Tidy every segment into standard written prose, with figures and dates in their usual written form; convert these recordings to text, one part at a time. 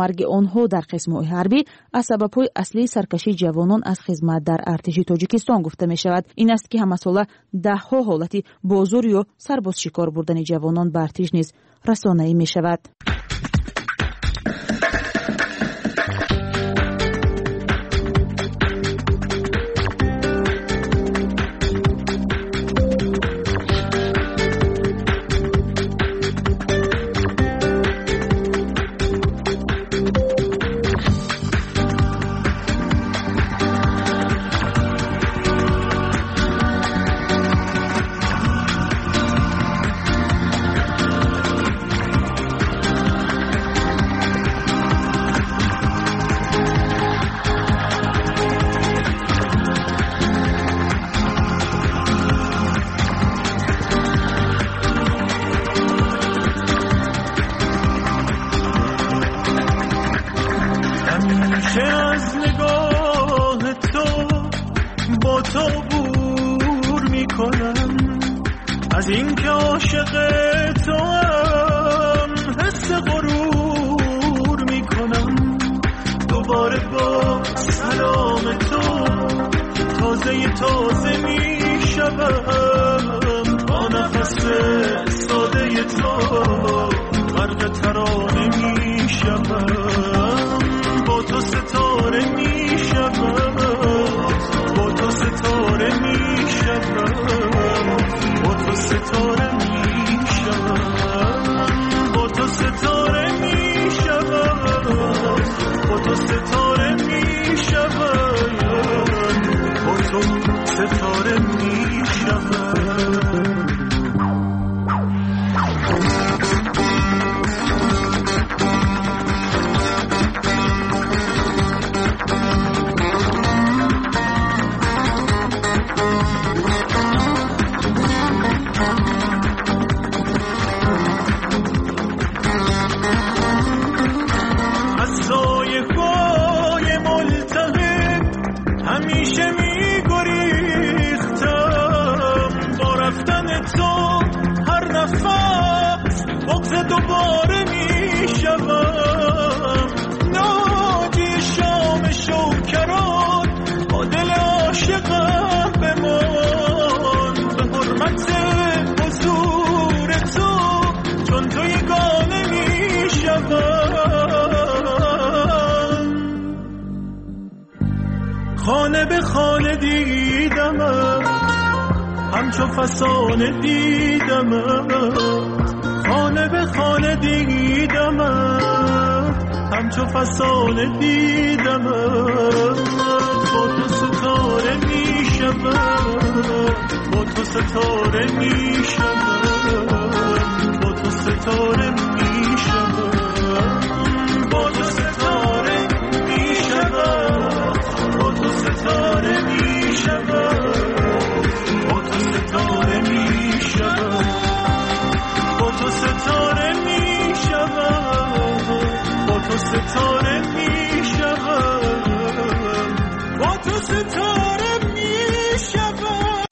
Марги онҳо дар қисмҳои ҳарбӣ аз сабабҳои аслии саркашии ҷавонон аз хизмат дар артиши Тоҷикистон гуфта мешавад. Ин аст, ки ҳамасола даҳҳо ҳолати бозур ё сарбозшикор бурдани ҷавонон ба артиш низ расонаӣ мешавад. از اینکه عاشق تو هم حس غرور میکنم، دوباره با سلام تو تازه تازه میشوم، با نفس ساده تو غرق ترانه میشوم، با تو ستاره میشوم، با تو ستاره میشوم، با تو ستاره میشم، با تو ستاره میشم، با تو ستاره میشم، با تو ستاره میشم. دوباره میشوم، ناجی شام شوکران با دل عاشقم بمان، به حرمت حضور تو چون تو یگانه میشوم. خانه به خانه دیدمم، همچو فسانه دیدمم، خانه به خانه دیدم، همچو فسانه دیدم، با تو ستاره میشم، با تو ستاره میشم، با تو ستاره میشم، با تو ستاره میشم، با تو ستاره میشم، با تو ستاره میشم، با تو ستاره میشم، با تو ستاره میشم، با تو ستاره میشم.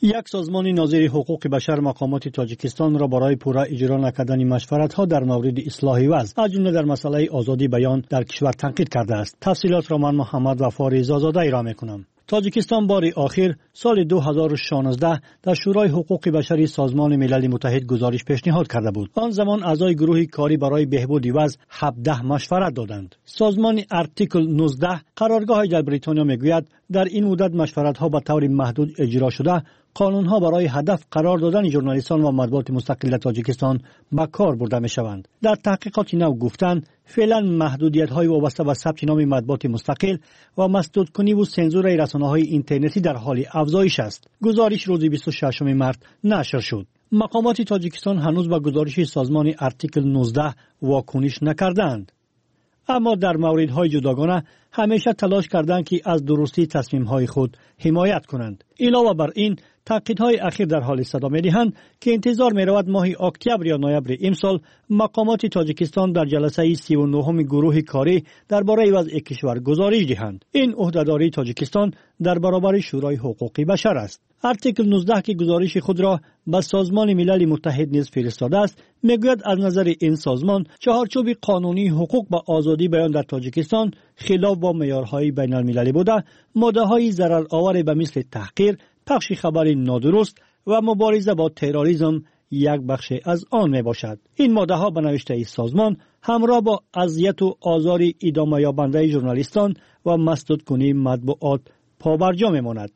Як созмони нозири ҳуқуқи башар мақомоти Тоҷикистонро барои пурра иҷро накардани машваратҳо дар мавриди ислоҳи вазъ, аз ҷумла дар масъалаи озодии баён дар кишвар танқид кардааст. Тафсилотро ман Муҳаммад Вафори Зозода ироа мекунам. Тоҷикистон бори охир соли 2016 дар Шӯрои ҳуқуқи башари Созмони Милали Муттаҳид гузориш пешниҳод карда буд. Он замон аъзои гурӯҳи корӣ барои беҳбуди вазъ 17 машварат доданд. Созмони Артикл 19 қароргоҳи дар Бритониё мегӯяд, дар ин муддат машваратҳо ба таври маҳдуд иҷро шуда, қонунҳо барои ҳадаф қарор додани журналистон ва матбуоти мустақил дар Тоҷикистон ба кор бурда мешаванд. Дар таҳқиқоти нав гуфтанд, феълан маҳдудиятҳои вобаста ба сабти номи матбуоти мустақил ва масдудкуниву сензураи расонаҳои интернетӣ дар ҳоли афзоиш аст. Гузориш рӯзи 26 март нашр шуд. Мақомоти Тоҷикистон ҳанӯз ба гузориши созмони Артикл 19 вокуниш накардаанд. Аммо дар мавридҳои ҷудогона ҳамеша талош карданд, ки аз дурустии тасмимҳои худ ҳимоят кунанд. Илова бар ин, Танқидҳои ахир дар ҳоле садо медиҳанд, ки интизор меравад моҳи октябр ё ноябри имсол мақомоти Тоҷикистон дар ҷаласаи 39-уми гурӯҳи корӣ дар бораи вазъи кишвар гузориш диҳанд. Ин ӯҳдадории Тоҷикистон дар баробари Шӯрои ҳуқуқи башар аст. Артикл 19, ки гузориши худро ба Созмони Милали Муттаҳид низ фиристодааст, мегӯяд аз назари ин созмон чаҳорчӯби қонунии ҳуқуқ ба озодии баён дар Тоҷикистон хилоф бо меъёрҳои байналмилалӣ буда, моддаҳои зарароваре ба мисли таҳқир, пахши хабари нодуруст ва мубориза бо терроризм як бахше аз он мебошад. Ин моддаҳо ба навиштаи созмон ҳамроҳ бо азияту озори идомаёбандаи журналистон ва масдудкунии матбуот побарҷо мемонад.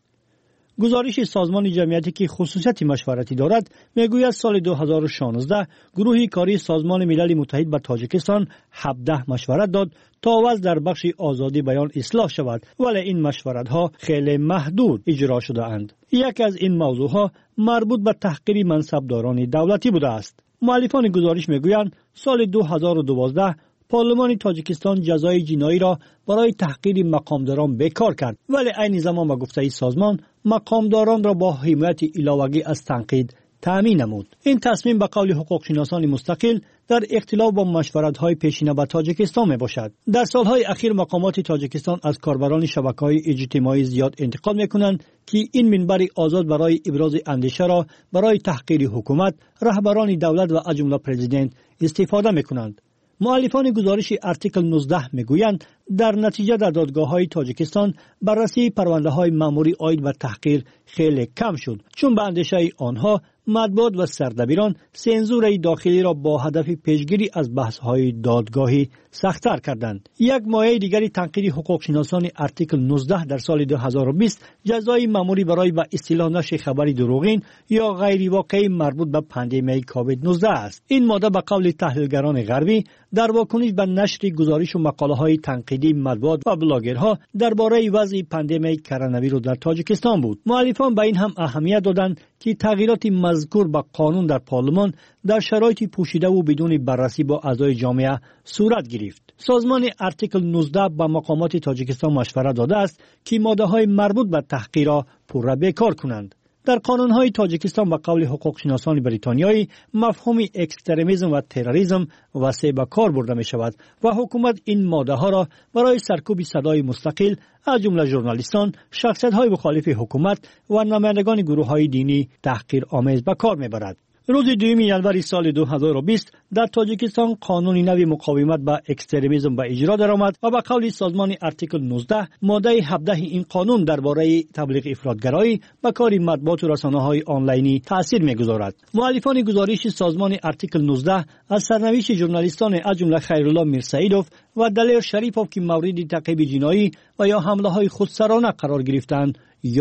Гузориши созмони ҷамъиятӣ, ки хусусияти машваратӣ дорад, мегӯяд соли 2016 гурӯҳи кории Созмони Милали Муттаҳид ба Тоҷикистон 17 машварат дод то вазъ дар бахши озодии баён ислоҳ шавад, вале ин машваратҳо хеле маҳдуд иҷро шудаанд. Яке аз ин мавзӯъҳо марбут ба таҳқири мансабдорони давлатӣ будааст. Муаллифони гузориш мегӯянд соли 2012 парлумони Тоҷикистон ҷазои ҷиноиро барои таҳқири мақомдорон бекор кард, вале айни замон ба гуфтаи созмон мақомдоронро бо ҳимояти иловагӣ аз танқид таъмин намуд. Ин тасмим ба қавли ҳуқуқшиносони мустақил дар ихтилоф бо машваратҳои пешина ба Тоҷикистон мебошад. Дар солҳои ахир мақомоти Тоҷикистон аз корбарони шабакаҳои иҷтимоӣ зиёд интиқод мекунанд, ки ин минбари озод барои ибрози андешаро барои таҳқири ҳукумат, раҳбарони давлат ва аз ҷумла президент истифода мекунанд. Муаллифони гузориши артикл 19 мегӯянд дар натиҷа дар додгоҳҳои Тоҷикистон баррасии парвандаҳои маъмурӣ оид ба таҳқир хеле кам шуд, чун ба андешаи онҳо матбуот ва сардабирон сензураи дохилиро бо ҳадафи пешгирӣ аз баҳсҳои додгоҳӣ сахттар карданд. Як мояи дигари танқиди ҳуқуқшиносони артикл 19 дар соли 2020 ҷазои маъмурӣ барои ба истилоҳ нашри хабари дурӯғин ё ғайривоқеӣ марбут ба пандемияи ковид-19 аст. Ин модда ба қавли таҳлилгарони ғарбӣ дар вокуниш ба нашри гузоришу мақолаҳои танқидии матбуот ва блогерҳо дар бораи вазъи пандемияи коронавирус дар Тоҷикистон буд. Муаллифон ба ин ҳам аҳамият доданд, ки тағйироти мазкур ба қонун дар парлумон дар шароити пӯшидаву бидуни баррасӣ бо аъзои ҷомеа сурат гирифт. Созмони артикл 19 ба мақомоти Тоҷикистон машварат додааст, ки моддаҳои марбут ба таҳқирро пурра бекор кунанд. Дар қонунҳои Тоҷикистон ба қавли ҳуқуқшиносони бритониёӣ мафҳуми экстремизм ва терроризм васеъ ба кор бурда мешавад ва ҳукумат ин моддаҳоро барои саркӯби садои мустақил аз ҷумла журналистон, шахсиятҳои мухолифи ҳукумат ва намояндагони гурӯҳҳои динӣ таҳқиромез ба кор мебарад. Рӯзи 2 январи соли 2020 дар Тоҷикистон қонуни нави муқовимат ба экстремизм ба иҷро даромад ва ба қавли созмони артикл 19 моддаи 17 ин қонун дар бораи таблиғи ифротгароӣ ба кори матбуоту расонаҳои онлайнӣ таъсир мегузорад. Муаллифони гузориши созмони артикл 19 аз сарнавишти журналистоне аз ҷумла Хайрулло Мирсаидов ва Далер Шарипов, ки мавриди таъқиби ҷиноӣ ва ё ҳамлаҳои худсарона қарор гирифтаанд,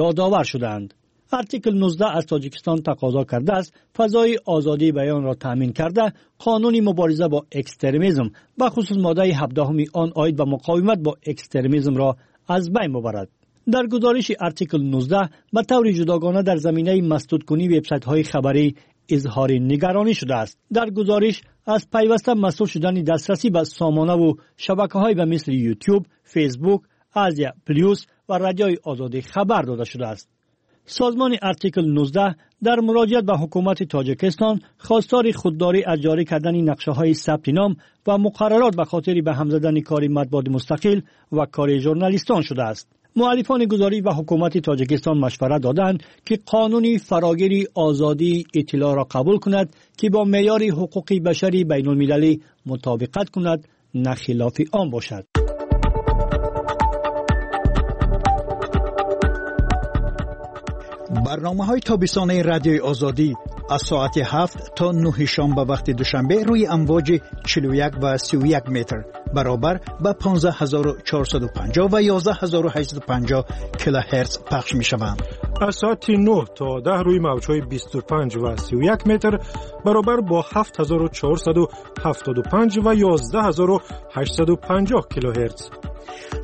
ёдовар шудаанд. Артикл 19 аз Тоҷикистон тақозо кардааст фазои озодии баёнро таъмин карда, қонуни мубориза бо экстремизм, бахусус моддаи 17 он оид ба муқовимат бо экстремизмро аз байн бубарад. Дар гузориши артикл 19 ба таври ҷудогона дар заминаи масдудкунии вебсайтҳои хабарӣ изҳори нигаронӣ шудааст. Дар гузориш аз пайваста масдуд шудани дастрасӣ ба сомонаву шабакаҳое ба мисли YouTube, Facebook, Азия Плюс ва Радиои Озодӣ хабар дода шудааст. Созмони артикл 19 дар муроҷиат ба ҳукумати Тоҷикистон хостори худдорӣ аз ҷорӣ кардани нақшаҳои сабти ном ва муқаррарот ба хотири ба ҳам задани кори матбуоти мустақил ва кори журналистон шудааст. Муаллифони гузориш ба ҳукумати Тоҷикистон машварат доданд, ки қонуни фарогири озодии иттилоъро қабул кунад, ки бо меъёри ҳуқуқи башари байнулмилалӣ мутобиқат кунад, на хилофи он бошад. Барномаҳои тобистонаи Радиои Озодӣ аз соати 7 то 9 шом ба вақти Душанбе рӯи амвоҷи 41 ва 31 метр баробар ба 15450 ва 11850 килогерц пахш мешаванд. Аз соати 9 то 10 рӯи мавҷҳои 25 ва 31 метр баробар бо 7475 ва 11850 килогерц.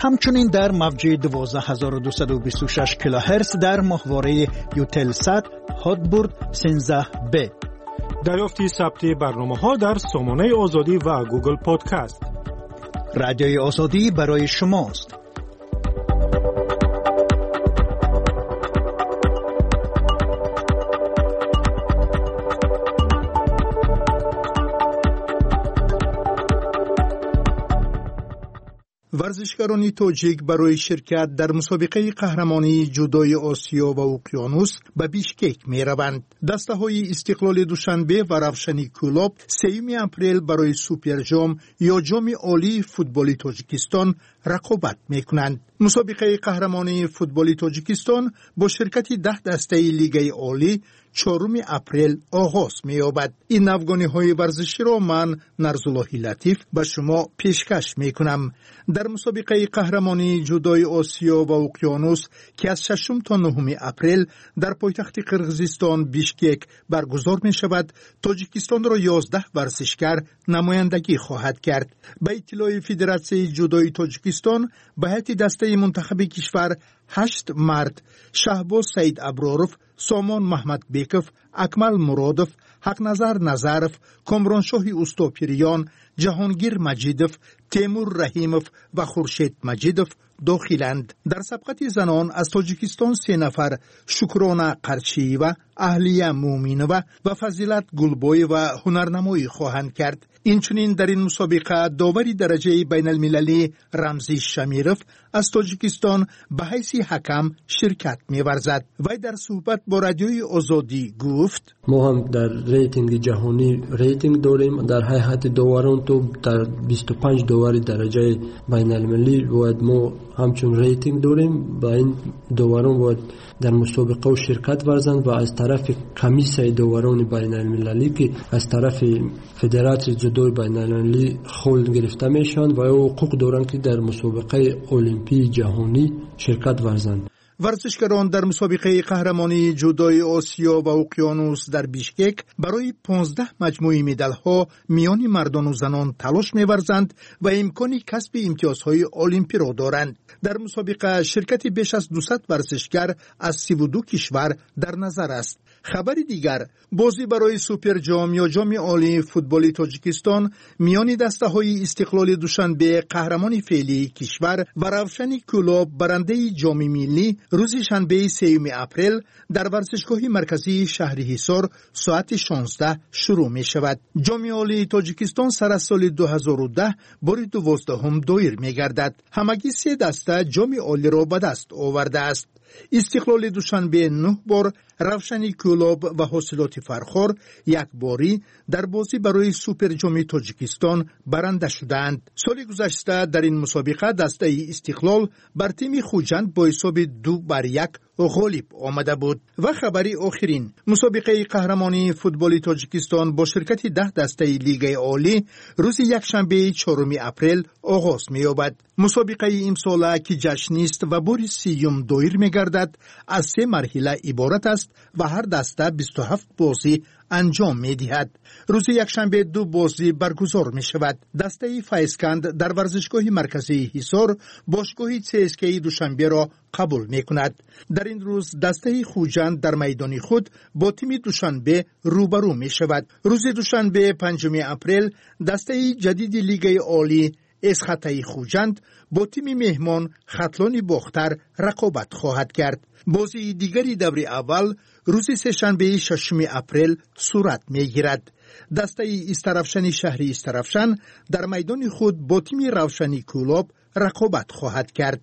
Ҳамчунин дар мавҷи 12226 килогерц дар моҳвораи Ютелсат Ҳотбурд 13Б. Дарёфти сабти барномаҳо дар сомонаи Озодӣ ва Гугл Подкаст. Радиои Озодӣ барои шумост. Варзишгарони тоҷик барои ширкат дар мусобиқаи қаҳрамонии ҷудои Осиё ва Уқёнус ба Бишкек мераванд. Дастаҳои Истиқлоли Душанбе ва Равшани Кӯлоб 3 апрел барои Суперҷом ё Ҷоми Олии футболи Тоҷикистон рақобат мекунанд. Мусобиқаи қаҳрамонии футболи Тоҷикистон бо ширкати 10 дастаи Лигаи Олӣ 4 апрел оғоз меёбад. Ин навгониҳои варзиширо ман, Нарзуллоҳи Латиф, ба шумо пешкаш мекунам. Дар мусобиқаи қаҳрамонии ҷудои Осиё ва Уқёнус, ки аз 6 то 9 апрел дар пойтахти Қирғизистон Бишкек баргузор мешавад, Тоҷикистонро 11 варзишгар намояндагӣ хоҳад кард. Ба иттилои Федератсияи ҷудои Тоҷикистон, ба ҳайати дастаи мунтахаби кишвар 8 мард: Шаҳбоз Саид Аброров, Сомон Маҳмадбеков, Акмал Муродов, Ҳақназар Назаров, Комроншоҳи Устопирён, Ҷаҳонгир Маҷидов, Темур Раҳимов ва Хуршед Маҷидов дохиланд. Дар сабқати занон аз Тоҷикистон 3 нафар: Шукрона Қарчиева, Аҳлия Муъминова ва Фазилат Гулбоева ҳунарнамоӣ хоҳанд кард. Инчунин дар ин мусобиқа довари дараҷаи байналмилалӣ Рамзӣ Шамиров аз Тоҷикистон ба ҳайси ҳакам ширкат меварзад. Вай дар суҳбат бо Радиои Озодӣ гуфт: Мо ҳам дар рейтинги ҷаҳонӣ рейтинг дорем. Дар ҳайати доварон то дар 25 довари дараҷаи байналмилалӣ бояд мо ҳамчун рейтинг дорем. Ба ин доварон бояд дар мусобиқаҳо ширкат варзанд ва аз тарафи комиссияи доварони байналмилалӣ, ки аз тарафи Федератсияи ҷудои байналмилалӣ хол гирифта мешаванд, ва ҳуқуқ доранд, ки дар мусобиқаи олимпии ҷаҳонӣ ширкат варзанд. Варзишгарон дар мусобиқаи қаҳрамонии ҷудои Осиё ва Уқёнус дар Бишкек барои 15 маҷмӯи медалҳо миёни мардону занон талош меварзанд ва имкони касби имтиёзҳои олимпиро доранд. Дар мусобиқа ширкати беш аз 200 варзишгар аз 32 кишвар дар назар аст. Хабари дигар: бозӣ барои Суперҷом ё Ҷоми Олии футболи Тоҷикистон миёни дастаҳои Истиқлоли Душанбе, қаҳрамони феълии кишвар, ва Равшани Кӯлоб, барандаи Ҷоми миллӣ, рӯзи шанбеи 3 апрел дар варзишгоҳи марказии шаҳри Ҳисор соати 16 шурӯъ мешавад. Ҷоми Олии Тоҷикистон сар аз соли 2010 бори 12-ум доир мегардад. Ҳамагӣ се даста Ҷоми Олиро ба даст овардааст: Истиқлоли Душанбе 9 бор, Равшани Кӯлоб ва Ҳосилоти Фархор якборӣ дар бозӣ барои Суперҷоми Тоҷикистон баранда шудаанд. Соли гузашта дар ин мусобиқа дастаи Истиқлол бар тими Хуҷанд бо ҳисоби 2-1 ғолиб омада буд. Ва хабари охирин: мусобиқаи қаҳрамонии футболи Тоҷикистон бо ширкати 10 дастаи Лигаи Олӣ рӯзи якшанбеи 4 апрел оғоз меёбад. Мусобиқаи имсола, ки ҷашнист ва бори 30-юм доир мегардад, аз се марҳила иборат аст ва ҳар даста 27 бозӣ анҷом медиҳад. Рӯзи якшанбе ду бозӣ баргузор мешавад. Дастаи Файзканд дар варзишгоҳи марказии Ҳисор бошгоҳи ЦСКАи Душанберо қабул мекунад. Дар ин рӯз дастаи Хуҷанд дар майдони худ бо тими Душанбе рӯбарӯ мешавад. Рӯзи душанбе, 5 апрел, дастаи ҷадиди Лигаи Олӣ Эсхатаи Хуҷанд бо тими меҳмон Хатлони Бохтар рақобат хоҳад кард. Бозии дигари даври аввал рӯзи сешанбеи 6 апрел сурат мегирад. Дастаи Истаравшани шаҳри Истаравшан дар майдони худ бо тими Равшани Кӯлоб рақобат хоҳад кард.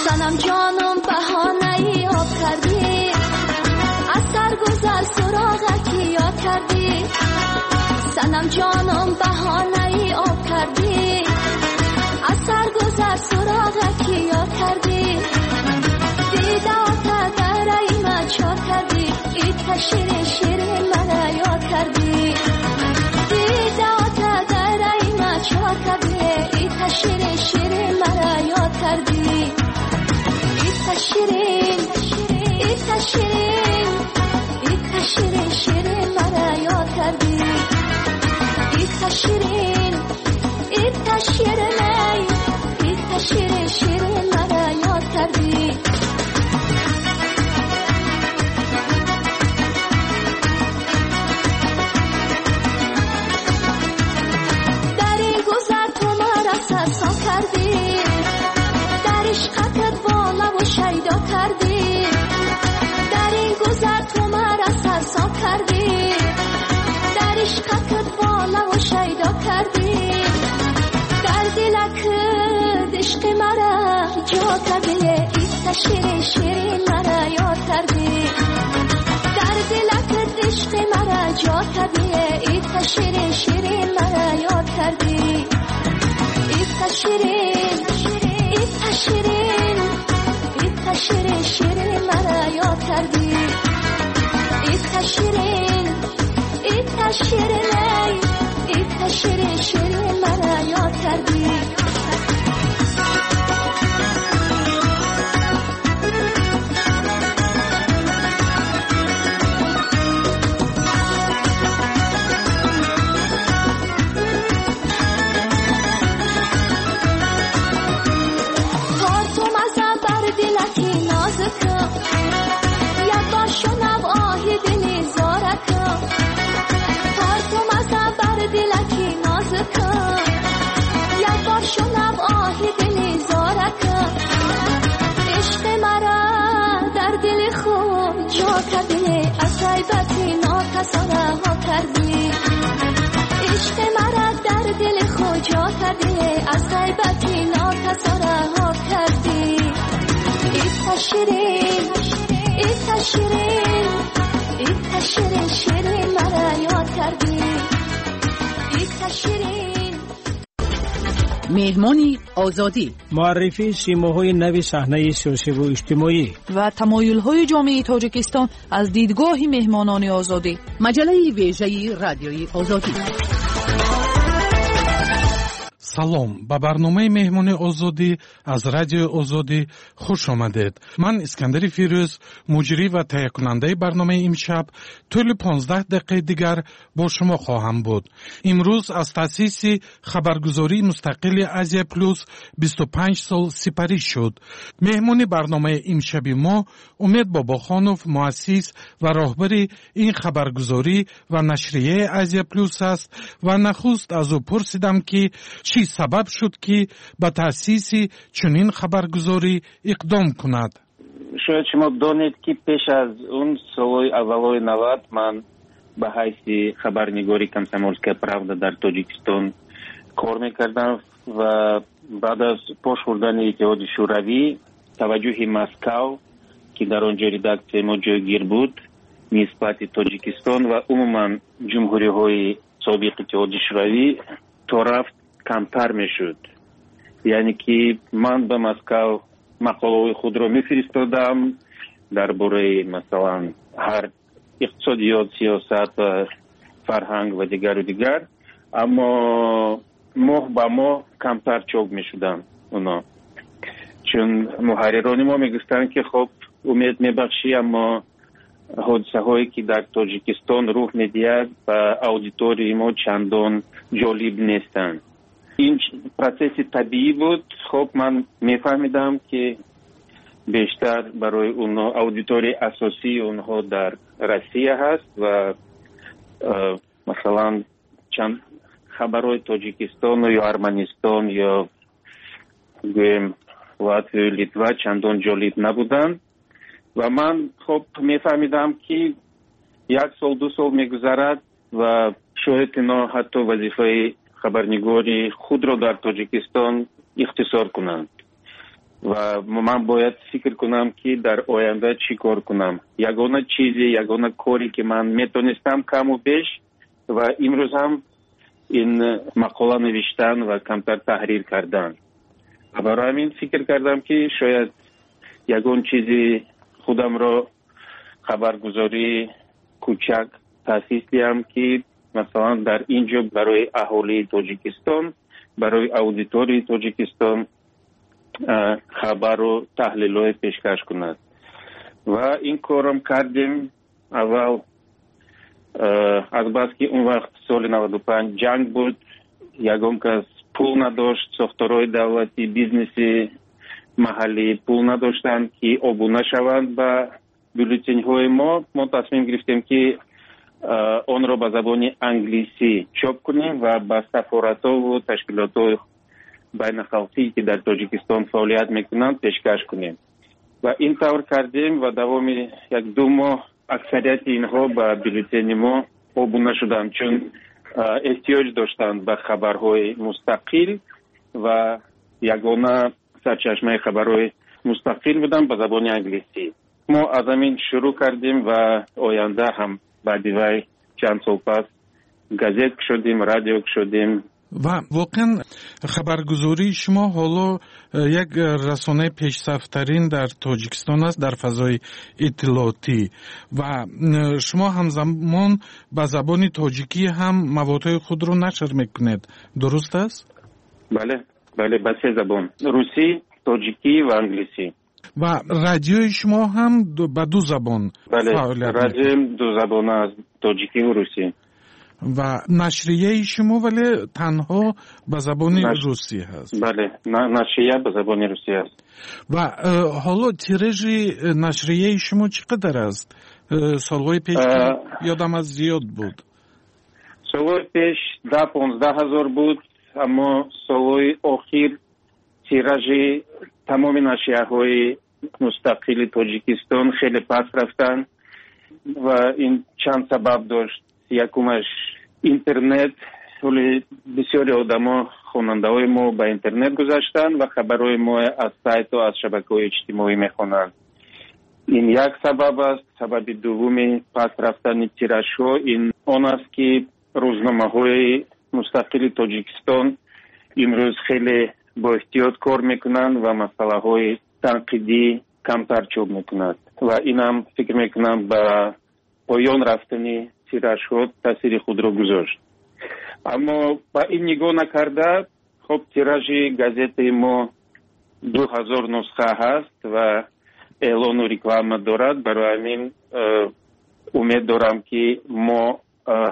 Санам ҷонум, баҳонаи об кардӣ, аз саргузар суроға ки ёд кардӣ. Санам ҷонум, баҳонаи об кардӣ, аз саргузар суроға ки ёд кардӣ. Дидота дараи ма чор кардӣ, ита ширин ширин мара ёд кардӣ. Дидота дараи ма чор кардӣ, ита ширин ширин мара ёд кардӣ. Ита ширин, ита ширин, ита ширин ширин мара ёд кардӣ. Ита ширин, ита ширин, ита ширин ширин мара ёд кардӣ. Дар ин гузар ту маро сарсон кардӣ, дар ишқатат болаву шайдо кардӣ. Дар ин гузар ту маро сарсон кардӣ. کردی، در عشقت بالا و شیدا کردی، در دلک عشق مرا جا کردی، ایتا شیرین شیرین مرا یاد کردی، در دلک عشق مرا جا کردی، ایتا شیرین شیرین مرا یاد کردی، ایتا شیرین ایتا شیرین ایتا شیرین شیرین مرا یاد کردی، ایتا شیرین ایتا شیرین ایتا شیرین شیرین مرا یاد کردی. از غیبت ناکسان رها کردی، عشق مرا در دل خود جا کردی، از غیبت ناکسان رها کردی، ایتا شیرین ایتا شیرین ایتا شیرین شیرین مرا یاد کردی، ایتا شیرین. Меҳмони Озодӣ. Муаррифии симоҳои нави саҳнаи сиёсиву иҷтимоӣ ва тамоюлҳои ҷомеаи Тоҷикистон аз дидгоҳи меҳмонони Озодӣ. Маҷаллаи вежаи Радиои Озодӣ. Салом, ба барномаи Меҳмони Озодӣ аз Радиои Озодӣ хуш омадед. Ман Искандари Фирӯз, муҷрӣ ва таҳиякунандаи барномаи имшаб, тӯли 15 дақиқаи дигар бо шумо хоҳам буд. Имрӯз аз таъсиси хабаргузории мустақили Азия Плюс 25 сол сипарӣ шуд. Меҳмони барномаи имшаби мо Умед Бобохонов, муассис ва роҳбари ин хабаргузорӣ ва нашрияи Азия Плюс аст ва нахуст аз ӯ пурсидам, ки чӣ сабаб шуд, ки ба таъсиси чунин хабаргузорӣ иқдом кунад. Шояд шумо донед, ки пеш аз он солҳои аввалҳои 90 ман ба ҳайси хабарнигори «Комсомольская правда» дар Тоҷикистон кор мекардам ва баъд аз пош хӯрдани Иттиҳоди Шӯравӣ таваҷҷӯҳи Москав, ки дар он ҷо редаксияи мо ҷойгир буд, нисбати Тоҷикистон ва умуман ҷумҳуриҳои собиқ Иттиҳоди Шӯравӣ то рафт камтар мешуд. Яъне ки ман ба Москав мақолаҳои худро мефиристодам дар бораи, масалан, ҳар иқтисодиёт, сиёсат ва фарҳанг ва дигару дигар, аммо моҳ ба моҳ камтар чоп мешуданд оно, чун муҳаррирони мо мегуфтанд, ки хоб, умед мебахшӣ, аммо ҳодисаҳое ки дар Тоҷикистон рух медиҳад, ба аудиторияи мо чандон ҷолиб нестанд. Ин процесси табиӣ буд. Хоб, ман мефаҳмидам, ки бештар барои онҳо аудиторияи асосии онҳо дар Россия ҳаст ва масалан чанд хабарҳои Тоҷикистону ё Арманистон ё гӯем Латвию Литва чандон ҷолиб набуданд. Ва ман хоб мефаҳмидам, ки як сол, ду сол мегузарад ва шояд ино ҳатто вазифаи хабарнигори худро дар Тоҷикистон ихтисор кунанд ва ман бояд фикр кунам, ки дар оянда чӣ кор кунам. Ягона чизе, ягона коре, ки ман метонистам каму беш ва имрӯз ҳам, ин мақола навиштан ва камтар таҳрир кардан. Барои ҳамин фикр кардам, ки шояд ягон чизи худамро, хабаргузории кӯчак таъсис диҳам, ки масалан дар ин ҷо барои аҳолии Тоҷикистон, барои аудиторияи Тоҷикистон хабару таҳлилҳое пешкаш кунад. Ва ин корам кардем. Аввал, азбаски он вақт соли 95 ҷанг буд, ягон кас пул надошт, сохторҳои давлатӣ, бизнеси маҳаллӣ пул надоштанд, ки обуна шаванд ба бюллетенҳои мо. Мо тасмим гирифтем, ки онро ба забони англисӣ чоп кунем ва ба сафоратову ташкилотҳои байнахалқӣ, ки дар Тоҷикистон фаъолият мекунанд, пешкаш кунем. Ва ин тавр кардем ва давоми як ду моҳ Аксарияти инҳо ба бюллетени мо обуна шуданд, чун эҳтиёҷ доштанд ба хабарҳои мустақил ва ягона сарчашмаи хабарҳои мустақил буданд ба забони англисӣ. Мо аз ҳамин шурӯъ кардем ва оянда ҳам баъди вай чанд сол пас газет кушодем, радио кушодем. Ва воқеан хабаргузории шумо ҳоло як расонаи пешсафтарин дар Тоҷикистон аст дар фазои иттилоотӣ ва шумо ҳамзамон ба забони тоҷикӣ ҳам маводҳои худро нашр мекунед, дуруст аст? Бале, бале, ба се забон: русӣ, тоҷикӣ ва англисӣ. Ва радиои шумо ҳам ба ду забон? Бале, радиоем дузабона аст, тоҷикӣ ва русӣ. Ва нашрияи шумо вале танҳо ба забони русӣ ҳаст? Бале, нашрия ба забони русӣ аст. Ва ҳоло тиражи нашрияи шумо чӣ қадар аст? Солҳои пеш ёдам аст, зиёд буд. Солҳои пеш 10-15 ҳазор буд, аммо солҳои охир тиражи тамоми нашрияҳои мустақили Тоҷикистон хеле паст рафтанд ва ин чанд сабаб дошт. Якумаш интернет. Ҳоли бисёри одамо, хонандаҳои мо, ба интернет гузаштанд ва хабарҳои мо аз сайту аз шабакаҳои иҷтимоӣ мехонанд. Ин як сабаб аст. Сабаби дуввуми паст рафтани тиражҳо ин он аст, ки рӯзномаҳои мустақили Тоҷикистон имрӯз хеле боэҳтиёт кор мекунанд ва масъалаҳои танқидӣ камтар чоп мекунад ва инам, фикр мекунам, ба поён рафтани тиражҳо таъсири худро гузошт. Аммо ба ин нигоҳ накарда, хоб, тиражи газетаи мо 2000 нусха ҳаст ва эълону реклама дорад. Барои ҳамин умед дорам, ки мо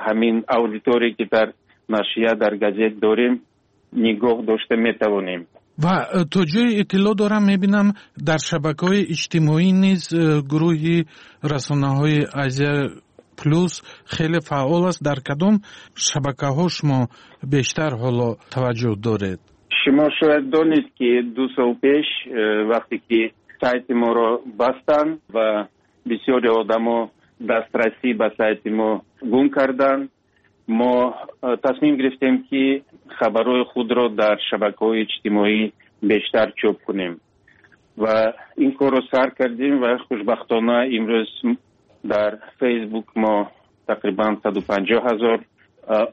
ҳамин аудиторие, ки дар нашрия, дар газет дорем, нигоҳ дошта метавонем. Ва то ҷое иттилоъ дорам, мебинам, дар шабакаҳои иҷтимоӣ низ гурӯҳи расонаҳои Азия Плюс хеле фаъол аст. Дар кадом шабакаҳо шумо бештар ҳоло таваҷҷӯҳ доред? Шумо шояд донед, ки 2 сол пеш, вақте ки сайти моро бастанд ва бисёри одамо дастрасӣ ба сайти мо гум карданд, мо тасмим гирифтем, ки хабарҳои худро дар шабакаҳои иҷтимоӣ бештар чоп кунем ва ин корро сар кардем. Ва хушбахтона имрӯз дар Фейсбук мо тақрибан 150 000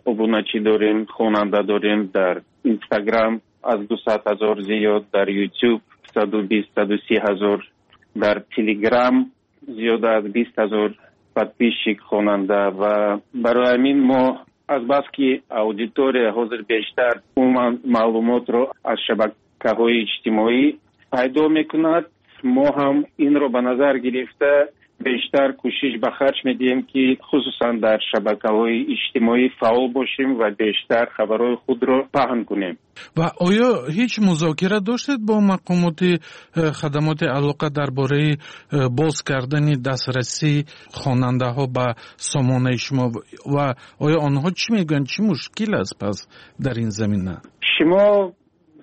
обуначӣ дорем, хонанда дорем, дар Инстаграм аз 200 000 зиёд, дар Ютуб 120, 130 000, дар Телеграм зиёда аз 20 000 подписчик, хонанда. Ва барои ҳамин мо азбаски аудитория ҳозир бештар умуман маълумотро аз шабакаҳои иҷтимоӣ пайдо мекунад, мо ҳам инро ба назар гирифта бештар кӯшиш ба харҷ медиҳем, ки хусусан дар шабакаҳои иҷтимоӣ фаъол бошем ва бештар хабарҳои худро паҳн кунем. Ва оё ҳеҷ музокира доштед бо мақомоти хадамоти алоқа дар бораи боз кардани дастрасии хонандаҳо ба сомонаи шумо ва оё онҳо чӣ мегӯянд? Чӣ мушкил аст пас дар ин замина? Шумо,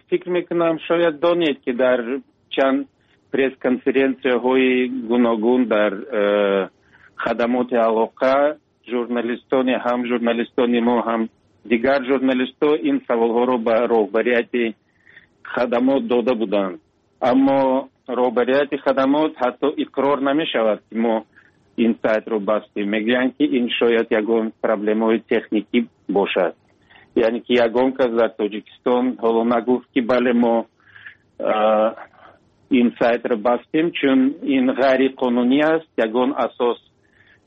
фикр мекунам, шояд донед, ки дар чанд пресс-конференсияҳои гуногун дар хадамоти алоқа журналистони, ҳам журналистони мо, ҳам дигар журналистҳо ин саволҳоро ба роҳбарияти хадамот дода буданд, аммо роҳбарияти хадамот ҳатто иқрор намешавад, ки мо ин сайтро бастем. Мегӯянд, ки ин шояд ягон проблемаҳои техникӣ бошад. Яъне ки ягон кас дар Тоҷикистон ҳоло нагуфт, ки бале, мо ин сайтро бастем, чун ин ғайриқонунӣ аст, ягон асос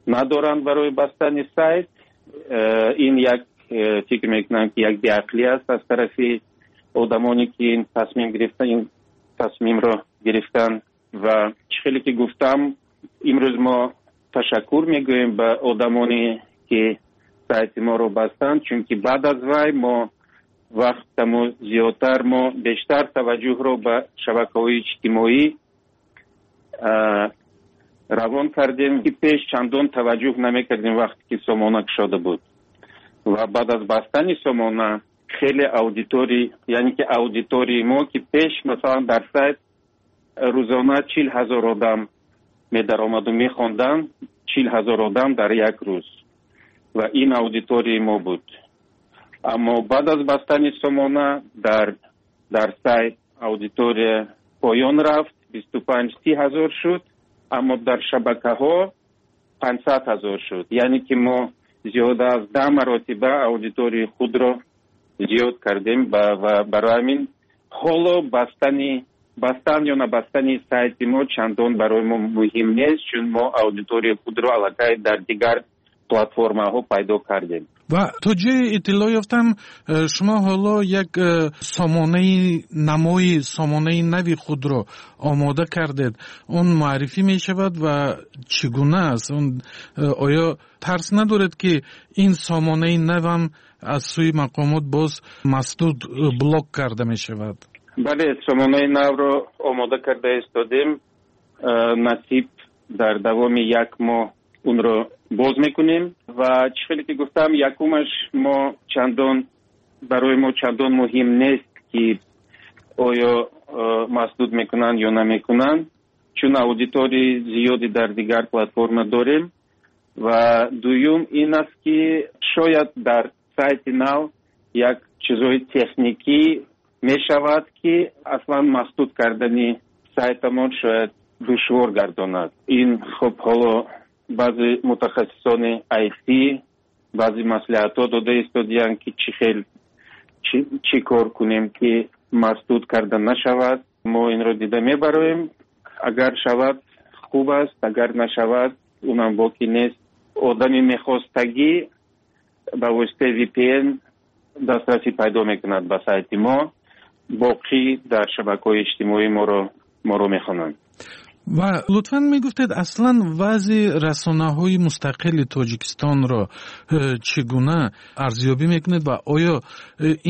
надоранд барои бастани сайт. Ин як, фикр мекунам, ки як беақлӣ аст аз тарафи одамоне, ки ин тасмим гирифтан, ин тасмимро гирифтанд. Ва чӣ хеле ки гуфтам, имрӯз мо ташаккур мегӯем ба одамоне, ки сайти моро бастанд, чунки баъд аз вай мо вақтамо зиёдтар, мо бештар таваҷҷӯҳро ба шабакаҳои иҷтимоӣ равон кардем, ки пеш чандон таваҷҷӯҳ намекардем, вақте ки сомона кушода буд. Ва баъд аз бастани сомона хеле аудиторӣ, яъне ки аудитории мо, ки пеш масалан дар сайт рӯзона 40 000 одам Медаромаду мехонданд 40 000 одам дар як рӯз ва ин аудиторияи мо буд. Аммо баъд аз бастани сомона дар сайт аудитория поён рафт, 25-30 ҳазор шуд, аммо дар шабакаҳо 500 000 шуд. Яъне ки мо зиёда аз 10 маротиба аудиторияи худро зиёд кардем ва барои ҳамин ҳоло бастан ё набастани сайти мо чандон барои мо муҳим нест, чун мо аудиторияи худро аллакай дар дигар платформаҳо пайдо кардем. Ва то ҷое иттилоъ ёфтам, шумо ҳоло як сомонаи намои сомонаи нави худро омода кардед. Он муаррифӣ мешавад ва чӣ гуна аст он? Оё тарс надоред, ки ин сомонаи навам аз сӯи мақомот боз масдуд, блок карда мешавад? Бале, сомонаи навро омода карда истодем. Насиб, дар давоми як моҳ онро боз мекунем. Ва чӣ хеле ки гуфтам, якумаш, мо чандон барои мо чандон муҳим нест, ки оё масдуд мекунанд ё намекунанд, чун аудиторияи зиёде дар дигар платформа дорем. Ва дуюм ин аст, ки шояд дар сайти нав як чизҳои техникӣ мешавад, ки аслан масдуд кардани сайтамон шояд душвор гардонад. Ин хуб, ҳоло баъзе мутахассисони IT баъзе маслиҳатҳо дода истодиянд, ки чӣ хел, чӣ кор кунем, ки масдуд карда нашавад. Мо инро дида мебароем. Агар шавад, хуб аст, агар нашавад, унам боки нест. Одами мехостагӣ ба воситаи VPN дастрасӣ пайдо мекунад ба сайти мо, боқӣ дар шабакаҳои иҷтимоӣ моро мехонанд. Ва лутфан мегуфтед, аслан вазъи расонаҳои мустақили Тоҷикистонро чӣ гуна арзёбӣ мекунед ва оё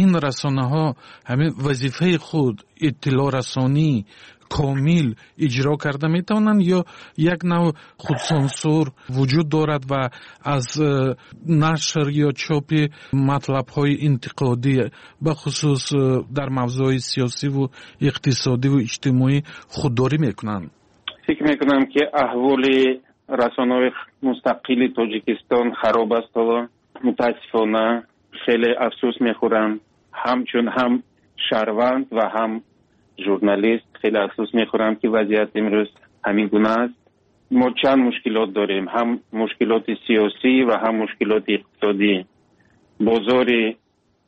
ин расонаҳо ҳамин вазифаи худ, иттилоърасонӣ, комил иҷро карда метавонанд ё як навъ худсансур вуҷуд дорад ва аз нашр ё чопи матлабҳои интиқодӣ, бахусус дар мавзӯъҳои сиёсиву иқтисодиву иҷтимоӣ, худдорӣ мекунанд? Фикр мекунам, ки аҳволи расонаҳои мустақили Тоҷикистон хароб аст ҳоло. Мутаассифона, хеле афсӯс мехӯрам. Ҳамчун ҳам шаҳрванд ва ҳам журналист хеле афсӯс мехӯрам, ки вазъият имрӯз ҳамин гуна аст. Мо чанд мушкилот дорем: ҳам мушкилоти сиёсӣ ва ҳам мушкилоти иқтисодӣ. Бозори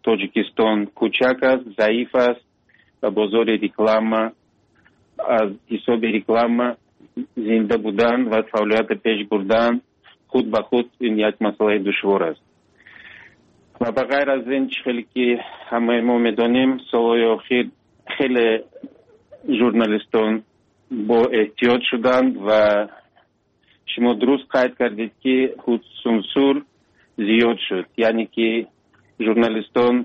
Тоҷикистон кӯчак аст, заиф аст ва бозори реклама, аз ҳисоби реклама зинда будан ва фаъолиятро пеш бурдан худ ба худ ин як масъалаи душвор аст. Ва ба ғайр аз ин, чӣ хеле ки ҳамаи мо медонем, солҳои охир хеле журналистон бо эҳтиёт шуданд. Ва шумо дуруст қайд кардед, ки худсансур зиёд шуд, яъне ки журналистон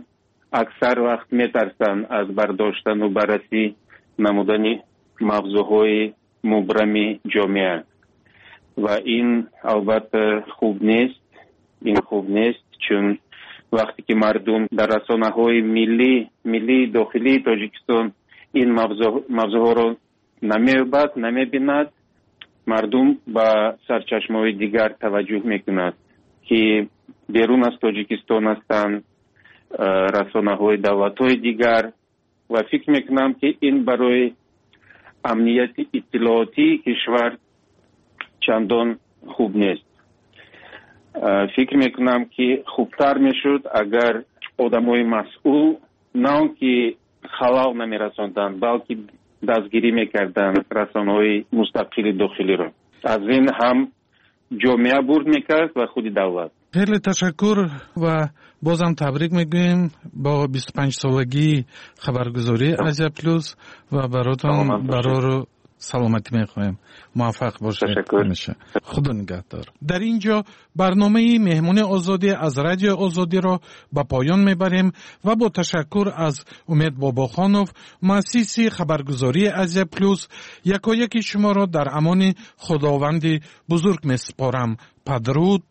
аксар вақт метарсанд аз бардоштану баррасӣ намудани мавзӯъҳои мубрами ҷомеа. Ва ин албатта хуб нест. Ин хуб нест, чун вақте ки мардум дар расонаҳои миллии дохилии Тоҷикистон ин мавзӯъҳоро намеёбад, намебинад, мардум ба сарчашмаҳои дигар таваҷҷӯҳ мекунад, ки берун аз Тоҷикистон ҳастанд, расонаҳои давлатҳои дигар. Ва фикр мекунам, ки ин барои амнияти иттилоотии кишвар чандон хуб нест. Фикр мекунам, ки хубтар мешуд, агар одамои масъул на он ки халал намерасонданд, балки дастгирӣ мекарданд расонаҳои мустақили дохилиро. Аз ин ҳам ҷомеа бурд мекард ва худи давлат. Хеле ташаккур ва бозам табрик мегӯем бо 25-солагии хабаргузории Азия Плюс ва баротон барору саломатӣ мехоҳем. Муваффақ бошед ҳамеша. Худо нигаҳдор. Дар ин ҷо барномаи Меҳмони Озодӣ аз Радиои Озодиро ба поён мебарем ва бо ташаккур аз Умед Бобохонов, муассиси хабаргузории Азия Плюс, якояки шуморо дар амони Худованди бузург месупорам. Падруд.